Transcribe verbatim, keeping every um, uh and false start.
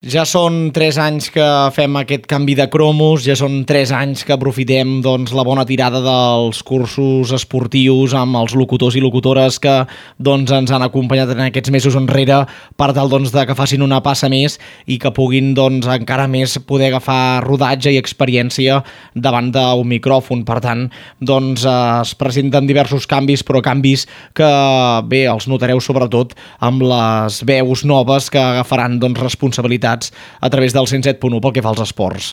Ja són tres anys que fem aquest canvi de cromos, ja són tres anys que aprofitem doncs, la bona tirada dels cursos esportius amb els locutors i locutores que doncs, ens han acompanyat en aquests mesos enrere per tal doncs, de que facin una passa més i que puguin doncs, encara més poder agafar rodatge i experiència davant d'un micròfon. Per tant, doncs, es presenten diversos canvis, però canvis que bé, els notareu sobretot amb les veus noves que agafaran doncs, responsabilitat a través del cent set punt u pel que fa als esports.